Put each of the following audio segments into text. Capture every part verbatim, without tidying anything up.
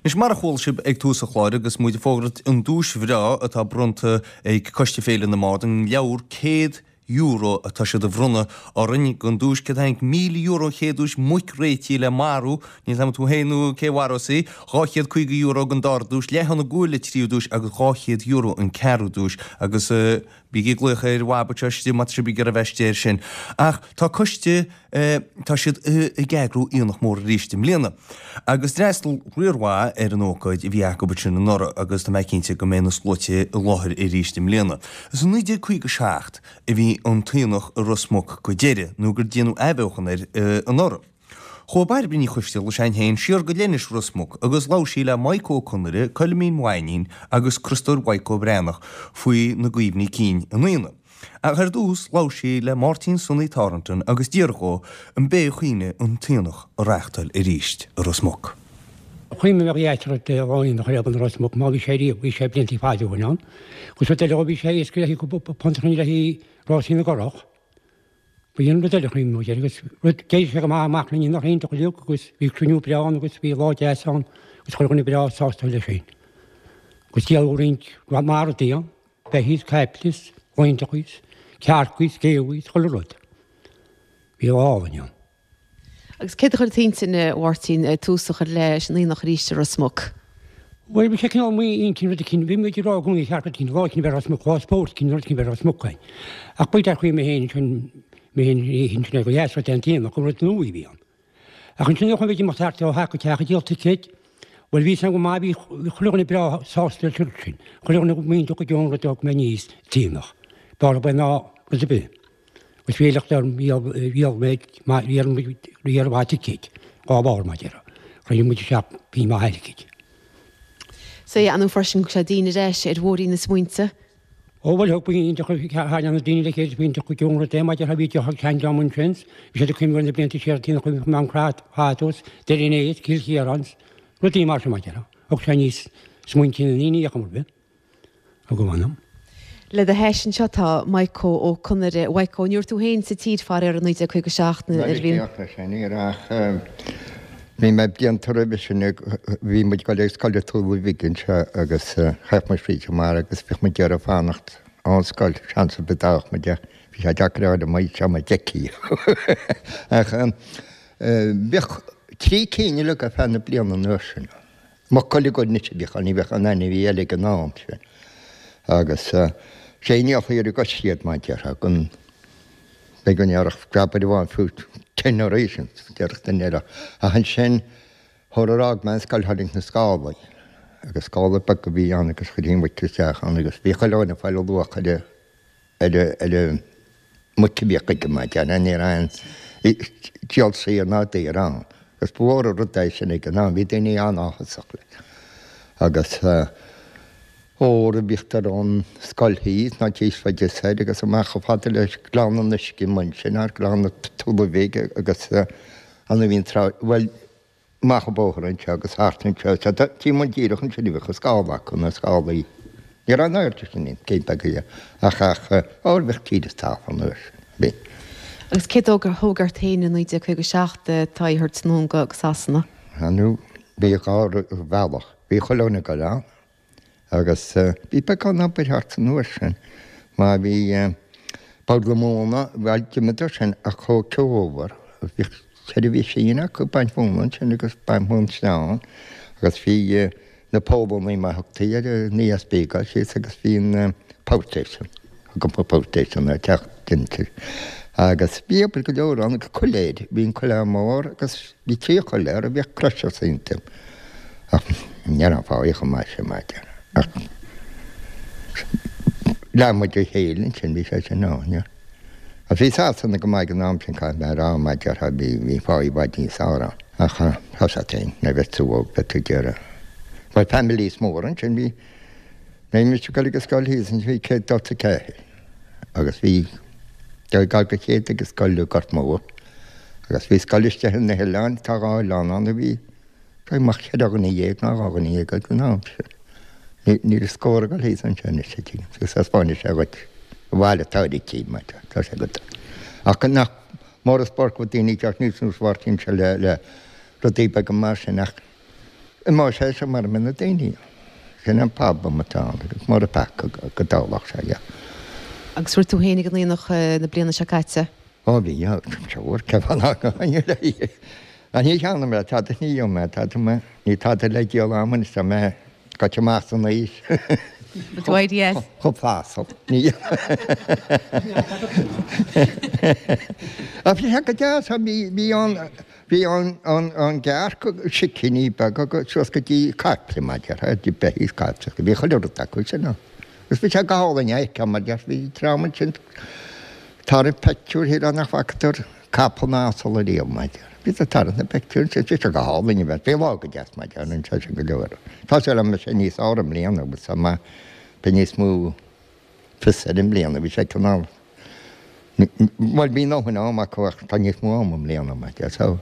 Anois mar a chuala sibh ag tús an chláir agus muid ag fógairt an duais bhreá atá bronnta ag Coiste Féile na mBard, an leabhar céad euro atá siad a bhronnadh orainn don duais céard a tháinig míle euro an chéad duais muic réitithe le marú, níl 's a'm tú féin nó cé mharós í, dhá chéad caoga euro don dara duais, leath-thonna guail an tríú duais agus dhá chéad euro an ceathrú duais agus bígí ag glaoch ar Bhab anseo istigh má tá sibh ag iarraidh a bheith istigh air sin. Ach tá coiste, tá siad ag eagrú aonach mór arís i mbliana. Agus d'fhreastail riar mhaith ar an ócáid a bhí acu ansin anuraidh agus tá mé cinnte go mbeidh na sluaite i láthair arís i mbliana. Is i naoi déag caoga seacht a bhí an t-aonach i Ros Muc go deireadh nó gur déanadh athbheochan air anuraidh. Chuaigh Bairbre Ní Choisteala s'againn féin siar go Leithinis Ros Muc agus labhair sí le Maidhc Ó Conaire, Coilimín Mhainín agus Criostóir Mhaidhc Ó Breathnach faoi na gcuimhní cinn an aonaigh. Ach ar dtús labhair sí le Máirtín Sonny Thornton agus d'iarr dhó an b'é a chuimhne an t-aonach a reáchtáil arís i Ros Muc. Chuimhnigh mé go dheas rud é aonach ar i Ros Muc má bhí sé riamh, bhí sé blianta fada ó shin ann. Agus rud eile bhí sé éasca le haghaidh punt a chruinniú le haghaidh Rásaí na gCurrach. Bhí an rud eile a chuimhnigh muid air agus rud d'éirigh sé go maith amach linn nach iontach uilig agus bhí cruinniú breá ann agus bhí lá deas ann agus chuile dhuine breá sásta leis sin. Agus díoladh roinnt maith rudaí ann. Beithígh, caiple is, lainteacha is, cearca is, géabha is, chuile rud. Bhí lá álainn ann. Agus céard a chuir i d'intinn, a Mháirtín, tús a chur leis an aonach arís i Ros Muc? Bhuel, bhí sé cineál m'intinn rud eicínt, bhí muid ag rá i gcónaí cheart rud eicínt, lá eicínt a bheith i Ros Muc, lá spóirt eicínt, rud eicínt a bheith i Ros Muc againn. Ach b'fhéidir ar chuimhne mé féin ansin, mé féin ansin é go dheas rud é an t-aonach, gur rud nua a bhí ann. Ach ansin nuair a chuaigh muid amach thart ó theach go teach ag díol ticéid, bhuel bhí san go maith, bhí chuile dhuine breá sásta leis an rud sin, chuile dhuine iontach go deo an rud a thug mé aníos t-aonach. B'fhearr ab é ná rud ar bith. Agus bhí lucht orm, dhíol mé, dhíol muid riar mhaith ticéid, dhá bharr mar a déarfá. Chruinnigh muid isteach pingin maith airgid. Sea, an freisin go sé daoine ar ais ar bhóithrín na smaointe. Ó bhuel thug b'iontach tháinig na daoine le chéile b'iontach go deo an rud é maidir bhí deoch ag seandream ansin bhí siad ag cuimhneamh ar na blianta siar tí na cuimhneamh Mám Crat Fadós Doire an Éid Cill Chiaráin rudaí mar sin maidir thug sé aníos smaointe na ndaoine a chuma ar bith thug a mh'anam. Le do hais anseo tá Maidhc Ó Conaire. A Mhaidhc, ní raibh tú féin sa tír faraor i naoi déag caoga seacht nuair a bhí an. Ní sin, ní raibh ach bhí mé blianta roimhe sin bhí muid ag dul ag scoil i Tulaigh Bhig anseo agus chaith muid fríd an mbarr agus bhíodh muid ag iarraidh fanacht ón scoil seans ar bith dá bhfaigheadh muid é. Bhí sé deacair a fháil amuigh seo mar d'fheicfí. Ach bhíodh trí cinn uilig ar feadh na bliana an uair sin. Muc uilig anois a bhíodh ann, ní bheadh aon ainmhí eile ag an am sin. Agus sé an ndíolfaí ar an gcois iad mar a déarfá gan Beidh go ndéarfadh preabaire amháin fiú ten arís an déarfadh duine eile. Ach ansin, shular fhág mé an scoil tháinig na scálaí agus scála beag a bhí ann agus chuirtí an mhuic isteach ann agus bhí chuile dhuine ag fáil a luach ar ar ar an muic a bhíodh aige mar déarfá ní raibh aon díol saor ná daor ann. Agus ba mhór an rud é sin ag an am, bhí daoine an-áthasach leis. Agus. Ór a bhíodh ar an scoil thíos ná tíos faide soir agus amach chomh fada le Gleann an Uisce amuigh ansin thar Gleann na Tulaigh Bhig agus ann a bhí an trá, bhuel, amach an bóthar anseo agus thart anseo. Sea, tí muid díreach ansin a bhíodh an scála acu, na scálaí. Ní raibh an airde sin ann, cén beag é, ach, ach, óir bhíodh tír is talamh an uair sin, bhí. Agus céard a thóg ort féin i naoi déag caoga seacht d'aghaidh a thabhairt anonn go Sasana? Nó bhí dhá bhealach, bhí chuile dhuine ag dul ann. Agus bhí beagán obair thart an uair sin, mar bhí Bord na Móna, bhuel, d'imíodar sin ach chuaigh Keover, bhí seirbhís fíon acu ag baint mhóna ansin agus baint móin sleán agus bhí na Pólannaigh mar a thugtaí ar an ESB ag dul síos agus bhí an power station, thug an power station ar teach dinnéir. Agus bhí obair go leor ann agus coiléir, bhí an coiléar mór agus bhí trí choiléar a bhíodh crushers iontu. Ach ní raibh an fáidhe chomh maith sin, mar a déarfá. Ach lean muid a chéile ansin, bhí sé sin ann, yeah. Ach bhí Sasana go maith ag an am sin, caithfidh mé a rá, mar a déarfá, bhí, bhí fáidhe i bhfad níos fearr ann. Ach tá sé féin, nuair a bheas tú óg, beidh tú ag iarraidh. Bhuel, families móra ansin, bhí, nuair a bhí mise ag dul ag an scoil thíos ansin, bhí céad daichead a ceathair agus bhí, dul gar do chéad ag an scoil i Gort Mór agus bhí scoil istigh ar na hoileáin, tá dhá oileán ann a bhí, Beidh amach ceithre dhuine dhéag ná dhá dhuine dhéag ag an am sin. Níl scór ag dul thíos anseo anois, a tuigim, agus thaispeánfaidh sé dhuit an bhaile atá ar cíb, mar tá sé agat. Ach nach mór an spórt go bhfuil daoine ag teacht níos nós Mháirtín seo le le rudaí beaga mar sin ach Imeoidh sé seo mura mbeidh na daoine ann. Sin an problem atá ann agus mura bhfeaca go dtarlódh sé, yeah. Agus raibh tú féin ag an aonach na bliana seo caite? Ó bhí, yeah, sure, cé fáth nach ngabhfainn? Ach ní cheannaigh mé tada, ní dhíol mé tada, mé, ní tada le díol a'm anois, tá mé gaibhte amach san aois. Tú éirí as? Chomh fásach, ní. Ach bhí sé go deas, bhí, bhí an, Bhí an gcearc sicíní beaga suas go dtí caiple mar déarfá, dtí beithígh caiple, bhí chuile rud acu sin ann. Agus bhí sé go hálainn a fheiceáil mar déarfá, bhí dream ansin ag tarraingt peictiúir shílfeá nach bhfacadar capall ná asal ariamh mar déarfá. Bhí siad ag tarraingt na bpeictiúr ansin, bhí sé go hálainn a bheith, bhí lá go deas mar déarfá anseo sin go leor. Tá súil agam go mbeidh sé níos fearr i mbliana agus tá mé, beidh níos mó fios air i mbliana, bhí sé cineál. Bhuel, bhí a ndóthain ama acu ach tá níos mó ama i mbliana, mar deir, so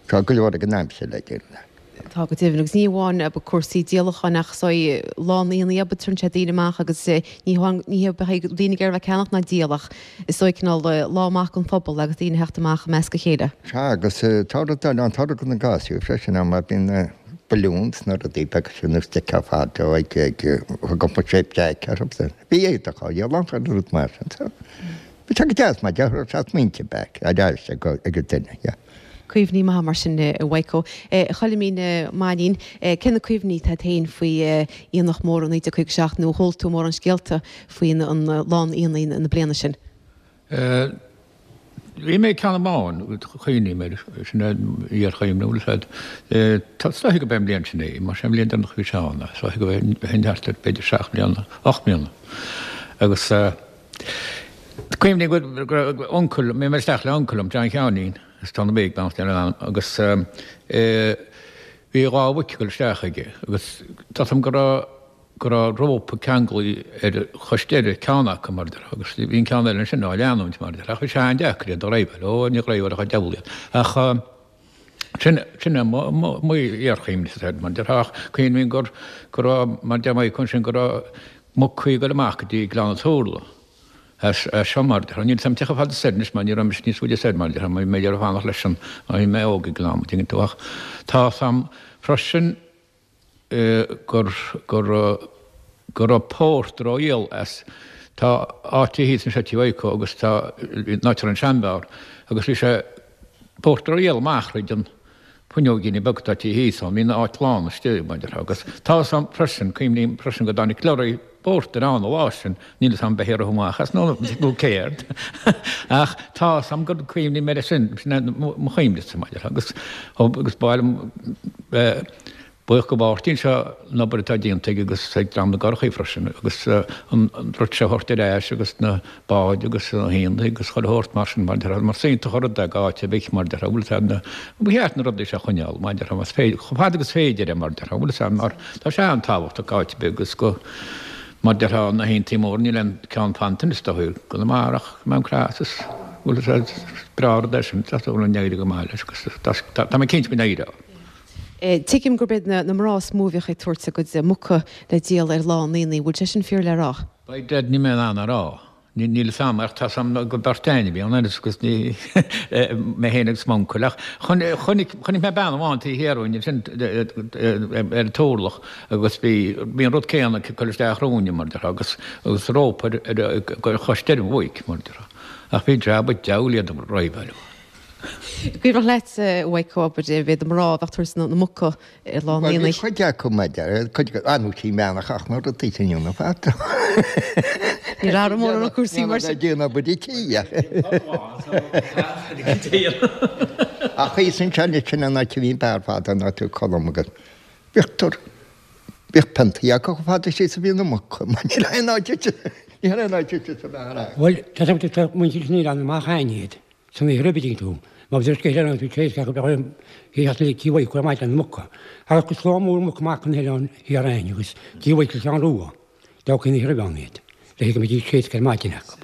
tá go leor ag an aimsir le déanamh leat. Tá go deimhin, agus ní hamháin cúrsaí díolacháin ach is dóigh lá an aonaigh ab ea, tugann sé daoine amach agus ní hamháin ní hé bheadh daoine ag iarraidh bheith ag ceannach ná díol ach is dóigh cineál lá maith don phobal agus daoine ag theacht amach i measc a chéile. Sea, agus tá rud eile ann, tá rud na gasúir freisin ann mar bíonn na balloons na rudaí beaga sin is d'fheicfeá fadó ag ag thug sé Jack orthu. Bhí éadach á dhíol ann chuile rud mar sin so. Bhí sé go deas mar déarfá tá smaointe back ar ais ag an duine, yeah. Cuimhní maithe mar sin a Mhaidhc. A Choilimín Mainnín, cé na cuimhní atá agat féin faoi Aonach Mór naoi déag caoga a seacht nó ar chuala tú mórán scéalta faoin an lá an aonaigh na bliana sin? Bhí mé ceann amháin, cuimhním air, sin é iarchuimhne, bhfuil a fhios agat. Is dóiche gurb é an bhliain sin é, más é an bhliain deireanach a bhí sé ann, is dóiche go bheinn thart ar b'fhéidir seacht mbliana, ocht mbliana. Agus cuimhním go raibh uncail, bhí mé isteach le uncail liom, John Sheáinín, as Tonn Big, beannacht Dé lena anam, agus bhí dhá mhuic ag dul isteach aige agus tá a fhios agam go raibh, go raibh rópa ceanglaithe ar chois deiridh ceann acu, mar a déarfá, agus bhí an ceann eile ansin á leanúint, mar a déarfá, ach bhí sé an-deacair iad a dhraibheáil, ó, ní dhraibheálfadh an diabhal iad. Ach sin, sin é mo, mo, mo iarchuimhne air, mar a déarfá, ach cuimhním gur, go raibh, mar a deir Maidhc ansin, go raibh mucaí ag dul amach go dtí Gleann an Turlaigh as, as seo, mar a déarfá. Níl 'fhios a'm cé chomh fada soir anois mar ní raibh mise níos faide soir, mar a déarfá, mar bhí mé ag iarraidh fanacht leis an, mar bhí mé óg ag an am, an dtuigeann tú, ach tá 'fhios a'm freisin, gur gur go raibh pórtar á dhíol as tá áit thíos anseo Tí Mhaidhc agus tá an áit a raibh an seanbheár agus bhí sé pórtar á dhíol amach thríd an fuinneoigíní beag atá tí thíos ann bhí an áit lán istigh mar a déarfá agus tá 'fhios a'm freisin cuimhním freisin go dtáinig lorry pórtair ann an lá sin níl 'fhios a'm ab é a rith amach as nó nó céard ach tá 'fhios a'm gur cuimhním air sin sin é mo chuimhne mar a déarfá agus agus ba mhaith liom Buíoch go Mháirtín seo an obair atá déanta aige agus ag dream na gcurachaí freisin agus an rud seo a thabhairt ar ais agus na báid agus na haonaigh agus chuile shórt mar sin mar déarfá mar is iontach an rud é go áit ar bith mar déarfá bhfuil 'fhios a'd na ba cheart na rudaí seo a choinneáil mar déarfá más féidir chomh fada agus féidir é mar déarfá bhfuil 'fhios a'd mar tá sé an-tábhachtach go áit ar bith agus go mar déarfá na haontaí móra níl aon ceann fanta anois dóigh i gConamara ach Mám Creas is bhfuil 'fhios a'd is breá an rud é sin tá súil agam go n-éireoidh go maith leis agus tá mé cinnte go n-éireoidh. Tuigim gurb iad na mná is mó a bhíodh ag tabhairt a gcuid muca le díol ar lá an aonaigh. Bhfuil sé sin fíor le rá? By dad níl mé in ann a rá. Níl 'fhios a'm ach tá 'fhios a'm gur beirt a'inn a bhí ann agus ní mé féin agus m'uncail ach chonaic chonaic mé bean amháin taobh thiar uainn ansin ar an turlach agus bhí bhí an rud céanna ag cur isteach romhainne mar a déarfá agus agus rópa ar ar chois deiridh an mhuic mar a déarfá ach bhí jab an diabhail iad a dhraibheáil. Cuimhneach leat, a Mhaidhc, abair, b'iad na mná a bheadh ag tabhairt na muca ar lá an Bhuel, bhí aonaigh. cuid acu, mar deir, cuid acu, ah, nó tí meánach ach na rudaí sin dhéanamh fada. Ní raibh mórán na cúrsaí mar sin. Ag déanamh obair tí, ach. Ach thíos anseo anois sin an áit a bhí an beár fada an áit a Colm agus bhíodh tor, bhíodh piontaí acu chomh fada síos a bhí na muca, mar níl aon áit níl aon áit sa bheár acu. Bhuel, tá tá muintir san oileán amach a'inn iad. San oíche roimhe dtuigeann tú. Má bhí scéal eile ann faoi tréis gach a bheadh orm theacht le Tí Mhaidhc ar maidin na muca. Agus slám mór muc amach an oileán thiar a'inn agus Tí Mhaidhc Seán Rua. D'fhágfaí an oíche roimhe ann iad le go mbeidís tréasctha ar maidin acu.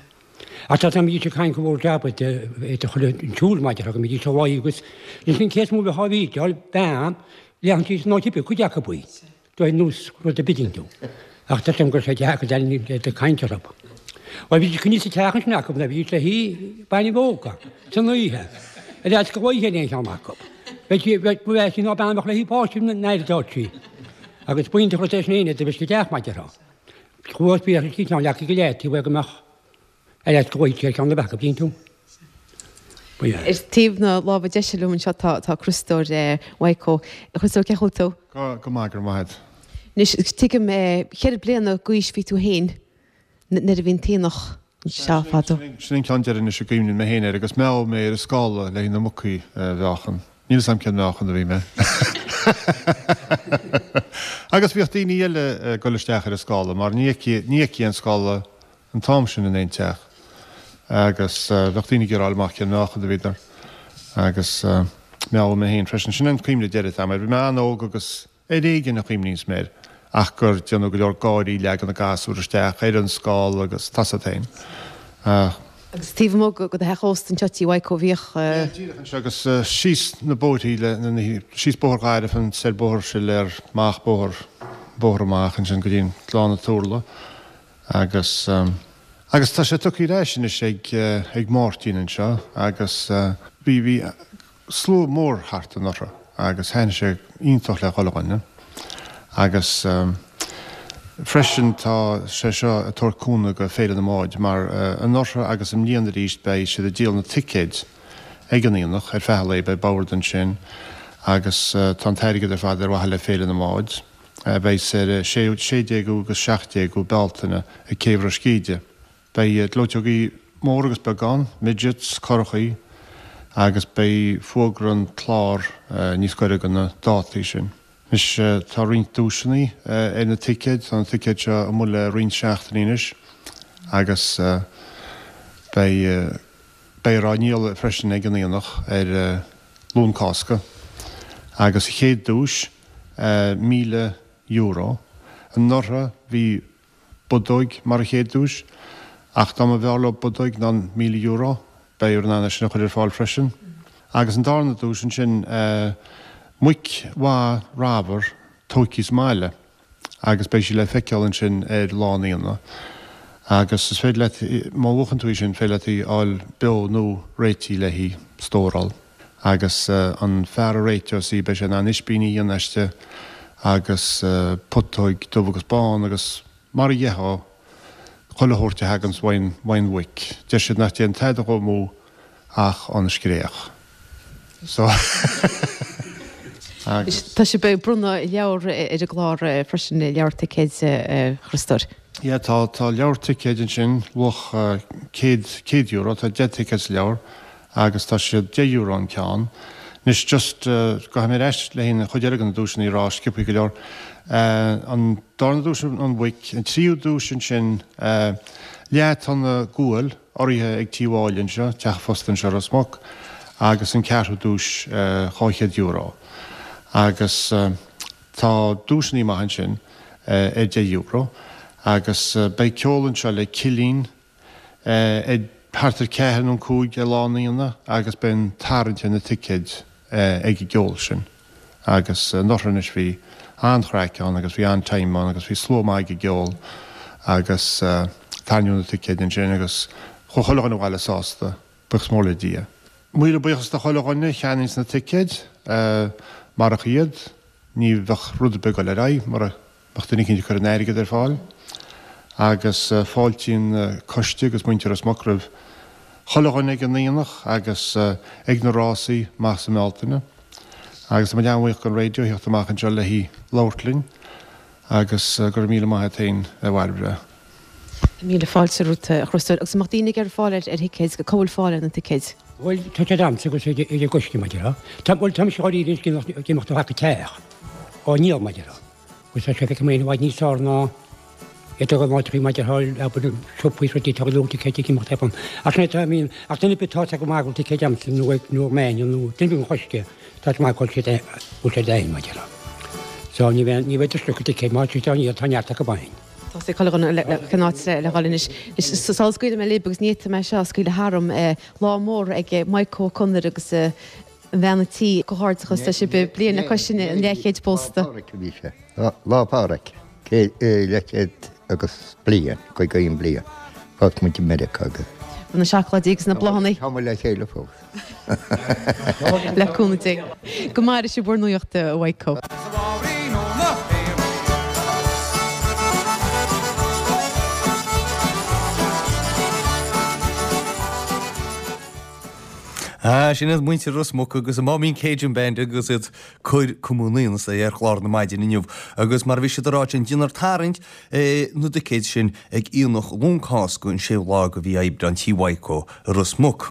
Ach tá tá mbeidís ag caint go mhór jab de chuile an tsiúl maidin go mbeidís á luí agus ansin cé is mó a bheadh á bhídeáil bean leathan síos an áit oibre cuid acu í. Dóigh nós rud a bidín tú. Ach tá sé go raibh sé deacair le le caint orthu. Bhuel bhí coinní sa teach ansin acu nuair a bhí sé thí bainne bhóca san oíche. Ar fhad go oíche aon cheann acu. Bheadh sí, bheadh, bheadh sí ná bean a bheadh léi páiste na n-aire dúirt sí. Agus b'iontach rud é sin éinne do bhí sí deach maith déarfá. Chuas bhí sí ceann leacaí go leith taobh go mbeadh ar ais go bhfuil sé ceann na beacha bíonn tú. Ba ea. Ar taobh na láimhe deise liom anseo tá tá Criostóir Mhaidhcó. A Chriostóir, cén chaoi a bhfuil tú? Go go maith, go raibh maith agat. Anois, tuigim, ceithre bliana d'aois bhí tú féin nuair a bhí an t-aonach anseo fadó. Sin an ceann deireanais a gcuimhníonn mé féin air agus mheabhaigh mé ar an scála le haghaidh na mucaí a mheáchan. Níl 'fhios a'm cén meáchan a bhí mé. Agus bhíodh daoine eile ag dul isteach ar an scála mar ní fheicfí an scála an t-am sin in aon teach agus bheadh daoine ag iarraidh fháil amach cén meáchan a bhíodar agus mheabhaigh mé féin freisin. Sin an cuimhne deiridh atá agam air. Bhí mé an-óg agus ar éigean a chuimhníos mé air ach gur déanadh go leor gáirí, leagadh na gasúir isteach ar an scála agus tá 's a't féin. Ach. Agus taobh amuigh de do theach ósta anseo Tí Mhaidhcó bhíodh. Yeah, díreach anseo agus síos na bóithrí le, síos Bóthar Ghairbh an soir Bóthar Siléar, amach Bóthar, bóthar amach ansin go dtí an Lána Turla agus, agus tá sé tugtha ar ais anois ag, ag Máirtín anseo agus bhí, bhí slua mór thart anuraidh agus thaitnigh sé iontach le chuile dhuine agus freisin tá sé seo ag tabhairt cúnamh go Féile na mBád mar anuraidh agus i mbliana arís beidh siad ag díol na ticéid ag an aonach ar feadh an lae, beidh bord ansin agus tá an t-airgead ar fad ar mhaithe le Féile na mBád a bheidh ar sé déagú agus seacht déagú Bealtaine ag Céibh Ros Cíde. Beidh gleoiteogaí mór agus beag ann, midgets, curachaí agus beidh fuagra an clár níos gaire do na dátaí sin. Anois tá roinnt duaiseanna ar na ticéid, tá na ticéid seo amuigh le roinnt seachtainí anois agus beidh beifear á ndíol freisin ag an aonach ar Luan Cásca. Agus an chéad duais, míle euro. Anuraidh bhí bodóig mar an chéad duais, ach dá mba bhfearr leo bodóig ná an míle euro, beifear in ann é sin a chur ar fáil freisin. Agus an darna duais ansin, muic mhaith ramhar tóigthe sa mbaile agus beidh sí le feiceáil ansin ar lá an aonaigh. Agus is féidir leat, má bhuachann tú í sin, féidir leat í a fháil beo nó réitithe le hí stóráil. Agus an fear a réiteos í, beidh sé in ann ispíní a dhéanamh aisti agus putóig dubh agus bán agus mar a gheofá chuile shórt a thaganns uaidh an mhuic. Deir siad nach dtéann tada dhó amú ach an scréach. So agus. Tá sibh ag bronnadh leabhar ar an gclár freisin, leabhar ticéid, a Chriostóir. Yeah, tá, tá leabhar ticéid ansin, luach céad, céad euro, tá deich ticéad sa leabhar agus tá siad deich euro an ceann. Anois just, gabhfaidh mé ar ais le haghaidh an chuid eile de na duaiseanna a rá, sciobthaí go leor. An darna duais an mhuic, an tríú duais ansin leath-tonna guail urraithe ag Tí Mháille anseo, teach an phosta anseo i Ros Muc, agus an ceathrú duais dhá chéad euro. Agus tá duaiseanna maithe ansin ar deich euro. Agus beidh ceol anseo le Cillín, ag thart ar ceathair nó an cúig ar lá an aonaigh agus beidh an tarraingt ar na ticéid ag an gceol sin. Agus anuraidh anois bhí an-chraic ann agus bhí an-time ann agus bhí slua maith ag an gceol agus tarraingíodh na ticéid ansin agus chuaigh chuile dhuine abhaile sásta, buíochas mór le Dia. Míle buíochas do chuile dhuine a cheannaíonns na ticéid, marach iad ní bheadh rud ar bith ag dul ar aghaidh mura mbeadh duine eicínt ag cur an airgead ar fáil agus fáiltíonn an coiste agus muintir Ros Muc roimh chuile dhuine ag an aonach agus ag na rásaí amach sa mBealtaine agus tá muid an-bhuíoch don raidió a theacht amach anseo le labhairt linn agus go raibh míle maith a't féin a Bhairbre. Míle fáilte romhat a Chriostóir. Agus an mbeadh daoine ag iarraidh fáil ar thicéid, cá bhfuil fáil ar na ticéid? Bhuel, tá siad a'msa agus ag an gcoiste mar a déarfá. Tá, bhuel, tá mise dháiríre ag imeacht ó theach go teach á ndíol mar a déarfá. Agus tá sé feicthe mé i bhfad níos fearr ná iad a dhul maidir le abair siopaí is rudaí atá ag lúth ticéid ag imeacht ar Ach sin é atá mín ach duine ar bith tá go maith go bhfuil ticéid a'msa nó ag nó ag Máine nó duine ar bith an choiste tá go maith go bhfuil siad bhfuil siad a'inn mar a déarfá. So ní bheidh ní bheidh tuisce acu ticéid má tá siad á ndíol tá neart acu a'inn. Tá sé chuile dhuine le cén áit le dhul anois. Sula scaoilfidh mé libh agus ní fhéadfaidh mé seo a scaoileadh tharam lá mór ag Maidhc Ó Conaire agus bhean a' tí, comhghairdeachas, tá sibh bliain le cois an leathchéid pósta. Lá Pádraig a bhí sé. Lá Pádraig, leathchéad agus bliain, caoga aon bliain. Phós muid i Meiriceá agus. Na seacláidí agus na bláthanna. Tá muid le chéile fós. Le cúnamh Dé. Go maire sibh bhur nuaíocht a Mhaidhcó. Ah, sin iad muintir Ros Muc agus an Máimín Cajun Band agus iad cur cuma na ionasa ar chlár na maidine inniu. Agus mar a bhí siad a rá ansin, déanfar tarraingt na dticéad sin ag Aonach Luan Cásca an séú lá de mhí Aibreán Tí Mhaidhcó i Ros Muc.